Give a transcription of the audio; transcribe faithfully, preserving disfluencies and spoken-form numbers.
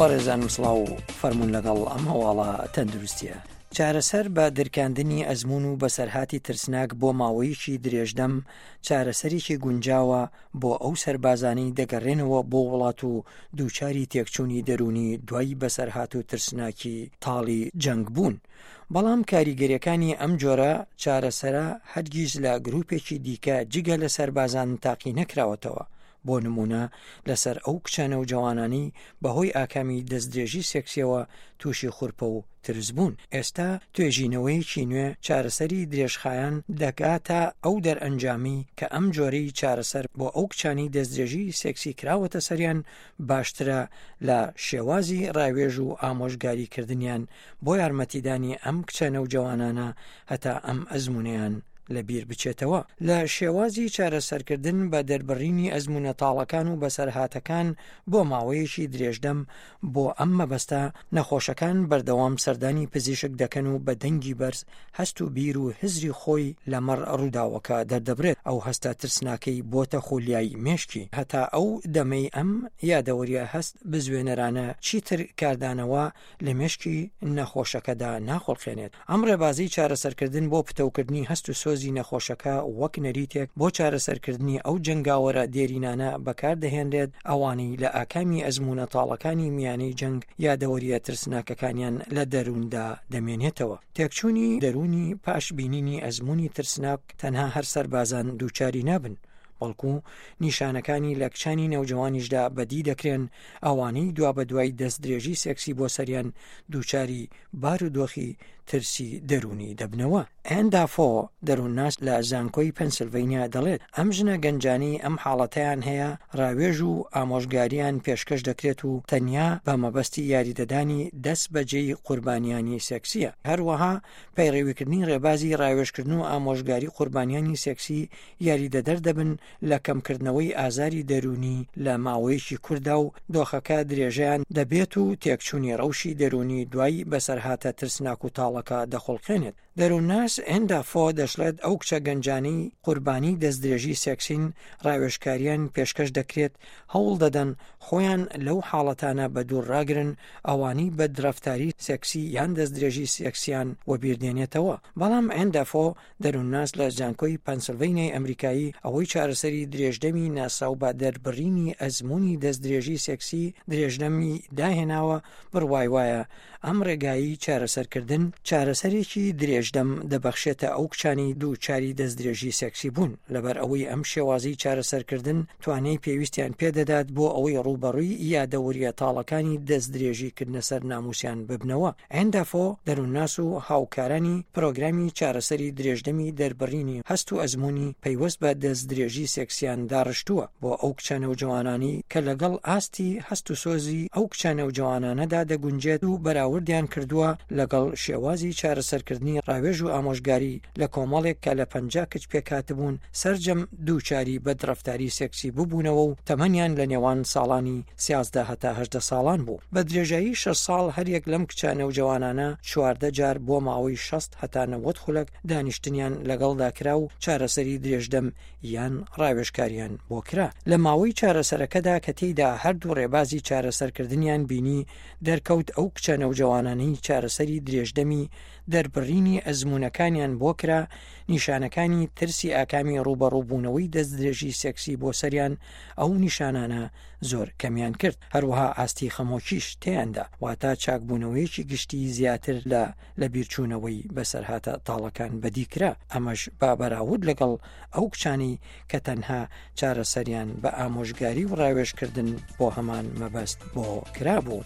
بەڕێزانم سڵاو، فەرمونون لەگەڵ ئەم هەواڵە تەندروستیە. چارەسەر بە درکاندنی ئەزمون و بەسەرهاتی ترسناک بۆ ماوەیەکی درێژدەم چارەسەرێکی گونجاوە بۆ ئەو سەربازانەی دەگەڕێنەوە بۆ وڵات و دووچاری تێکچوونی دەروونی دوای بەسەرهات و ترسناکی تاڵی جەنگ بوون. بەڵام کاریگەریەکانی ئەم جۆرە چارەسەرە هەرگیز لە گروپێکی دیکە جگە لە سەربازان تاقی نەکراوەتەوە. بۆ نمونە لەسەر ئەو کچانە و جوانانی بەهۆی ئاکامی دەستدرێژی سێکسیەوە تووشی خورپە و ترس بوون. ئێستا توێژینەوەیەکی نوێ چارەسەری درێژخایەن دەگاتە ئەو دەرئەنجامی کە ئەم جۆرەی چارەسەر بۆ ئەو کچانی دەستدرێژی سێکسی کراوەتە سەریان باشترە لە شێوازی ڕاوێژ و ئامۆژگاریکردنیان بۆ یارمەتیدانی ئەم کچە نەوجەوانانە هەتا ئەم ئەزمونیان لەبیر بچێتەوە. لە شێوازی چارەسەرکردن بە دەربڕینی ئەزمونە تاڵەکان و بەسەرهاتەکان بۆ ماوەیەکی درێژدەم بۆ ئەم مەبەستە نەخۆشەکان بەردەوام سەردانی پزیشک دەکەن و بە دەنگی بەرز هەست و بیر و هزری خۆی لەمەڕ ڕووداوەکە دەردەبرێت. ئەو هەستە ترسناکەی بۆتە خولیای مێشکی هەتا ئەو دەمەی ئەم یادەوەریە هەست بزوێنەرانە چیتر کاردانەوە لە مێشکی نەخۆشەکەدا ناخڵقێنێت. ئەم ڕێبازی چارەسەرکردن بۆ پتەوکردنی هەست و سۆزی نەخۆشەکە وەک نەریتێک بۆ چارەسەرکردنی ئەو جەنگاوەرە دێرینانە بەکاردەهێنرێت ئەوانەی لە ئاکامی ئەزمونە تاڵەکانی میانەی جەنگ یادەوەریە ترسناکەکانیان لە دەرووندا دەمێنێتەوە. تێکچوونی دەروونی پاش بینینی ئەزمموی ترسناک تەنها هەر سەربازان دووچاری نابن، بەڵکو نیشانەکانی لە کچانی نەوجەوانیشدا بەدی دەکرێن ئەوانەی دوا بە دوای دەستدرێژی سێکسی بۆ سەریان دووچاری بارودۆخی ترسی دەروونی دەبنەوە. ئەندافۆ دەروونناس لە زانکۆی پەنسلڤینیا دەڵێت ئەم ژنە گەنجانی ئەم حاڵەتەیان هەیە ڕاوێژ و ئامۆژگاریان پێشکەش دەکرێت و تەنیا بە مەبەستی یاریدەدانی دەست بەجێی قوربانیانی سێکسیە. هەروەها پەیڕەویکردنی ڕێبازی ڕاوێژکردن و ئامۆژگاری قوربانیانی سێکسی یاریدەدەر دەبن لە کەمکردنەوەی ئازاری دەروونی لە ماوەیەکی کوردا و دۆخەکە درێژەیان دەبێت و تێکچوونی ڕەوشی دەروونی دوای بەسەرهاتە ترسناک و تاڵەکە دەخوڵقێنێت. دەروونناس ئێندافۆ دەشڵێت ئەو کچە گەنجانەی قوربانی دەستدرێژی سێکسین ڕاوێژکاریان پێشکەش دەکرێت هەوڵ دەدەن خۆیان لەو حاڵەتانە بە دوور ڕاگرن ئەوانەی بەدڕەفتاری سێکسی یان دەستدرێژی سێکسیان وەبیردێنێتەوە. بەڵام ئێندافۆ دەروونناس لە زانکۆی پەنسلڤینیای ئەمریکایی ئەوەی چارەسەری درێژدەمی ناسراو بە دەربڕینی ئەزمموی دەستدرێژی سێکسی درێژدەمی داهێناوە بڕوای وایە ئەم ڕێگایی چارەسەرکردن چارەسەرێکی درێژدەم دەبەخشێتە ئەو کچانی دووچاری دەستدرێژی سێکسی بوون، لەبەر ئەوەی ئەم شێوازی چارەسەرکردن توانای پێویستیان پێدەدات بۆ ئەوەی ڕووبەڕووی یادەوەریە تاڵەکانی دەستدرێژیکردنە سەر ناموسیان ببنەوە. ئەندافۆ دەروونناس و هاوکارانی پرۆگرامی چارەسەری درێژدەمی دەربڕینی هەست و ئەزمموی پەیوەست بە دەستدرێژی سێکسیان داڕشتووە بۆ ئەو کچە نەوجەوانانی کە لەگەڵ ئاستی هەست و سۆزی ئەو کچە نەوجەوانانەدا دەگونجێت و بەراوردیان کردووە لەگەڵ شێوازی چارەسەرکردنی ڕاوێژ و ئامۆژگاری لە کۆمەڵێک کە لە پەنجا کچ پێکهاتبوون سەرجەم دووچاری بەدڕەفتاری سێکسی ببوونەوە و تەمەنیان لە نێوان ساڵانی سیازدە هەتا هەژدە ساڵان بوو. بە درێژایی شەش ساڵ هەریەک لەم کچە نەوجەوانانە چواردە جار بۆ ماوەی شەست هەتا نەوەد خولەک دانیشتنیان لەگەڵدا کرا و چارەسەری درێژدەم یان ڕاوێژکاریان بۆ کرا. لە ماوەی چارەسەرەکەدا کە تێیدا هەردوو ڕێبازی چارەسەرکردنیان بینی دەرکەوت ئەو کچە نەوجەوانانەی چارەسەری درێژدەمی دەربڕینی ئەزمونەکانیان بۆ کرا نیشانەکانی ترسی ئاکامی ڕووبەڕووبوونەوەی دەستدرێژی سێکسی بۆ سەریان ئەو نیشانانە زۆر کەمیان کرد. هەروەها ئاستی خەمۆکیش تێیاندا، واتە چاکبوونەوەیەکی گشتی زیاتر لە لەبیرچوونەوەی بەسەرهاتە تاڵەکان بەدی کرا، ئەمەش بە بەراورد لەگەڵ ئەو کچانەی کە تەنها چارەسەریان بە ئامۆژگاری و ڕاوێژکردن بۆ هەمان مەبەست بۆ کرابوو.